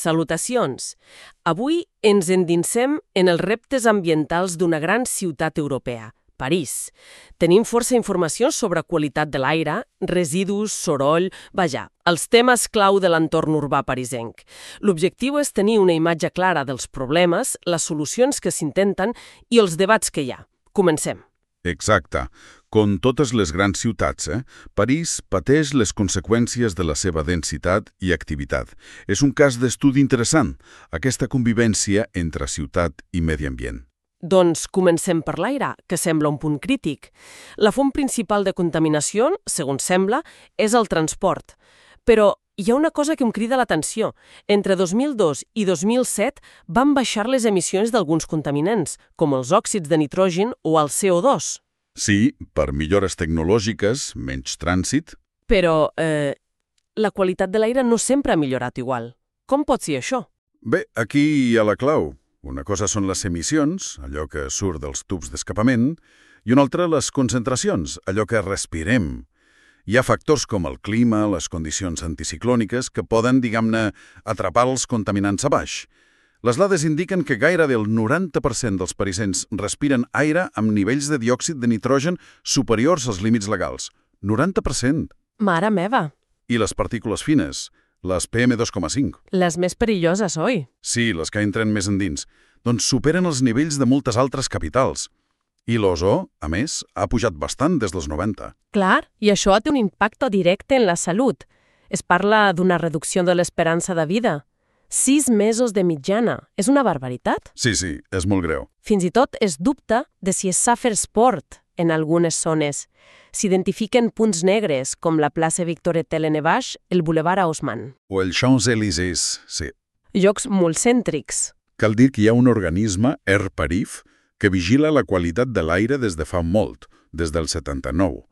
Salutacions! Avui ens endinsem en els reptes ambientals d'una gran ciutat europea, París. Tenim força informacions sobre qualitat de l'aire, residus, soroll, vaja, els temes clau de l'entorn urbà parisenc. L'objectiu és tenir una imatge clara dels problemes, les solucions que s'intenten i els debats que hi ha. Comencem. Exacte. Com totes les grans ciutats, París pateix les conseqüències de la seva densitat i activitat. És un cas d'estudi interessant, aquesta convivència entre ciutat i medi ambient. Doncs comencem per l'aire, que sembla un punt crític. La font principal de contaminació, segons sembla, és el transport. Però hi ha una cosa que em crida l'atenció. Entre 2002 i 2007 van baixar les emissions d'alguns contaminants, com els òxids de nitrogen o el CO2. Sí, per millores tecnològiques, menys trànsit. Però la qualitat de l'aire no sempre ha millorat igual. Com pot ser això? Bé, aquí hi ha la clau. Una cosa són les emissions, allò que surt dels tubs d'escapament, i una altra les concentracions, allò que respirem. Hi ha factors com el clima, les condicions anticiclòniques, que poden, diguem-ne, atrapar els contaminants a baix. Les dades indiquen que gairebé el 90% dels parisencs respiren aire amb nivells de diòxid de nitrogen superiors als límits legals. 90%! Mare meva! I les partícules fines, les PM2,5. Les més perilloses, oi? Sí, les que entren més endins. Doncs superen els nivells de moltes altres capitals. I l'ozó, a més, ha pujat bastant des dels 90. Clar, i això té un impacte directe en la salut. Es parla d'una reducció de l'esperança de vida. 6 mesos de mitjana. És una barbaritat? Sí, és molt greu. Fins i tot es dubta de si es sap fer esport en algunes zones. S'identifiquen punts negres, com la plaça Victor Etele-Nevaix, el Boulevard Haussmann. O el Champs-Élysées, sí. Llocs molt cèntrics. Cal dir que hi ha un organisme, Air Parif, que vigila la qualitat de l'aire des de fa molt, des del 79.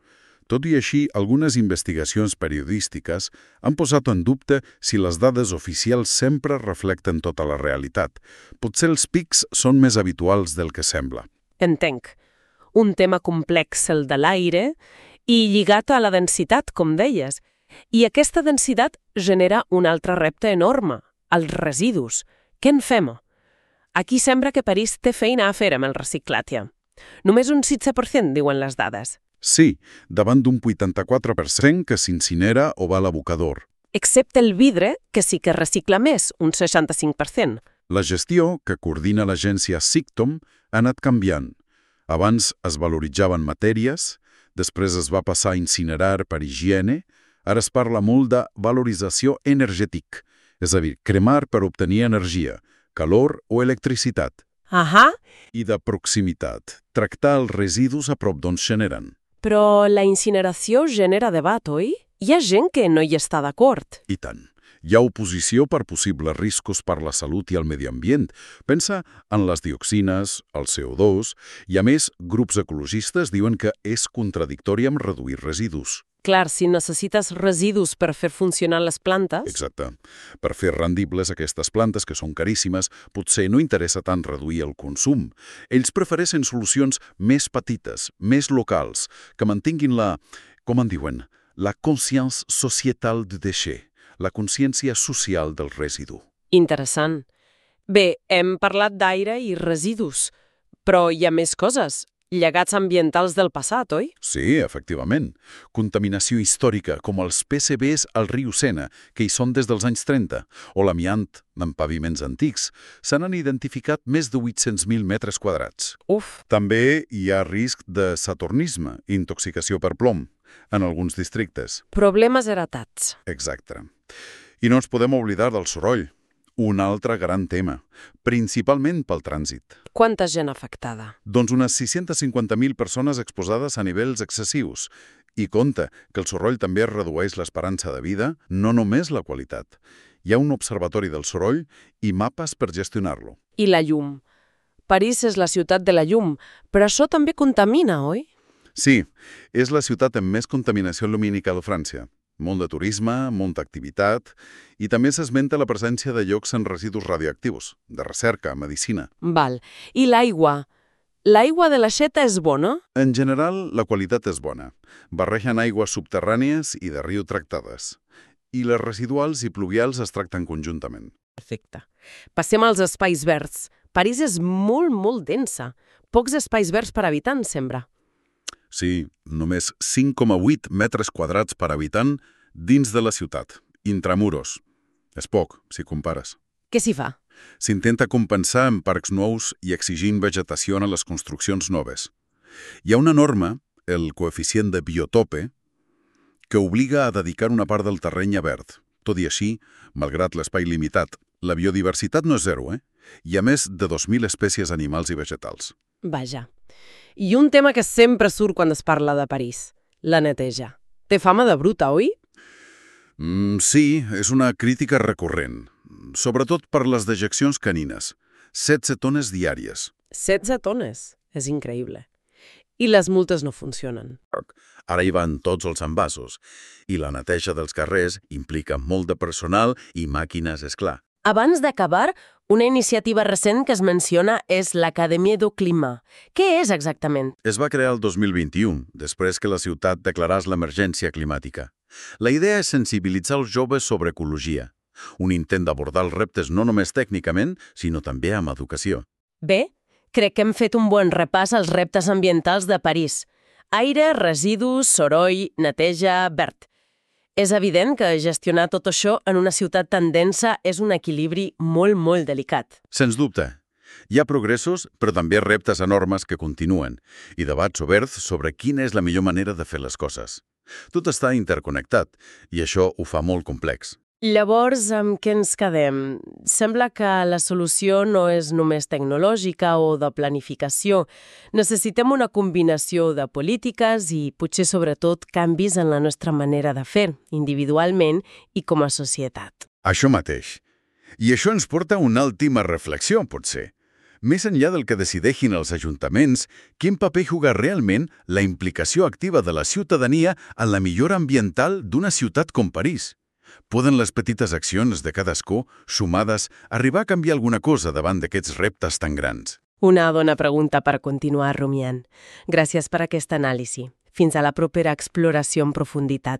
Tot i així, algunes investigacions periodístiques han posat en dubte si les dades oficials sempre reflecten tota la realitat. Potser els pics són més habituals del que sembla. Entenc. Un tema complex, el de l'aire, i lligat a la densitat, com deies. I aquesta densitat genera un altre repte enorme, els residus. Què en fem? Aquí sembla que París té feina a fer amb el reciclatge. Només un 16% diuen les dades. Sí, davant d'un 84% que s'incinera o va a l'abocador. Excepte el vidre, que sí que recicla més, un 65%. La gestió, que coordina l'agència SICTOM, ha anat canviant. Abans es valoritzaven matèries, després es va passar a incinerar per higiene, ara es parla molt de valorització energètica, és a dir, cremar per obtenir energia, calor o electricitat. I de proximitat, tractar els residus a prop d'on es generen. Però la incineració genera debat, oi? Hi ha gent que no hi està d'acord. I tant. Hi ha oposició per possibles riscos per la salut i el medi ambient. Pensa en les dioxines, el CO2, i a més, grups ecologistes diuen que és contradictori amb reduir residus. Clar, si necessites residus per fer funcionar les plantes... Exacte. Per fer rendibles aquestes plantes, que són caríssimes, potser no interessa tant reduir el consum. Ells prefereixen solucions més petites, més locals, que mantinguin com en diuen, la consciència societal du déchet, la consciència social del residu. Interessant. Bé, hem parlat d'aire i residus, però hi ha més coses. Llegats ambientals del passat, oi? Sí, efectivament. Contaminació històrica, com els PCBs al riu Sena, que hi són des dels anys 30, o l'amiant en paviments antics. Se n'han identificat més de 800.000 metres quadrats. Uf! També hi ha risc de saturnisme, intoxicació per plom, en alguns districtes. Problemes heretats. Exacte. I no ens podem oblidar del soroll. Un altre gran tema, principalment pel trànsit. Quanta gent afectada? Doncs unes 650.000 persones exposades a nivells excessius. I compte que el soroll també redueix l'esperança de vida, no només la qualitat. Hi ha un observatori del soroll i mapes per gestionar-lo. I la llum. París és la ciutat de la llum, però això també contamina, oi? Sí, és la ciutat amb més contaminació lumínica de França. Molt de turisme, molta activitat, i també s'esmenta la presència de llocs en residus radioactius, de recerca, medicina. Val. I l'aigua? L'aigua de l'aixeta és bona? En general, la qualitat és bona. Barregen aigües subterrànies i de riu tractades. i les residuals i pluvials es tracten conjuntament. Perfecte. Passem als espais verds. París és molt, molt densa. Pocs espais verds per habitant, sembla. Sí, només 5,8 metres quadrats per habitant dins de la ciutat, intramuros. És poc, si compares. Què s'hi fa? S'intenta compensar amb parcs nous i exigint vegetació a les construccions noves. Hi ha una norma, el coeficient de biotope, que obliga a dedicar una part del terreny a verd. Tot i així, malgrat l'espai limitat, la biodiversitat no és zero, Hi ha més de 2.000 espècies animals i vegetals. Vaja. I un tema que sempre surt quan es parla de París, la neteja. Té fama de bruta, oi? Sí, és una crítica recurrent, sobretot per les dejeccions canines. 16 tones diàries. 16 tones? És increïble. I les multes no funcionen. Ara hi van tots els envasos, i la neteja dels carrers implica molt de personal i màquines, és clar. Abans d'acabar, una iniciativa recent que es menciona és l'Acadèmia du Climat. Què és exactament? Es va crear el 2021, després que la ciutat declaràs l'emergència climàtica. La idea és sensibilitzar els joves sobre ecologia, un intent d'abordar els reptes no només tècnicament, sinó també amb educació. Bé, crec que hem fet un bon repàs als reptes ambientals de París. Aire, residus, soroll, neteja, verd. És evident que gestionar tot això en una ciutat tan densa és un equilibri molt, molt delicat. Sens dubte. Hi ha progressos, però també reptes enormes que continuen, i debats oberts sobre quina és la millor manera de fer les coses. Tot està interconnectat, i això ho fa molt complex. Llavors, amb què ens quedem? Sembla que la solució no és només tecnològica o de planificació. Necessitem una combinació de polítiques i, potser sobretot, canvis en la nostra manera de fer, individualment i com a societat. Això mateix. I això ens porta a una última reflexió, potser. Més enllà del que decideixin els ajuntaments, quin paper juga realment la implicació activa de la ciutadania en la millora ambiental d'una ciutat com París? Poden les petites accions de cadascú, sumades, arribar a canviar alguna cosa davant d'aquests reptes tan grans? Una bona pregunta per continuar rumiant. Gràcies per aquesta anàlisi. Fins a la propera exploració en profunditat.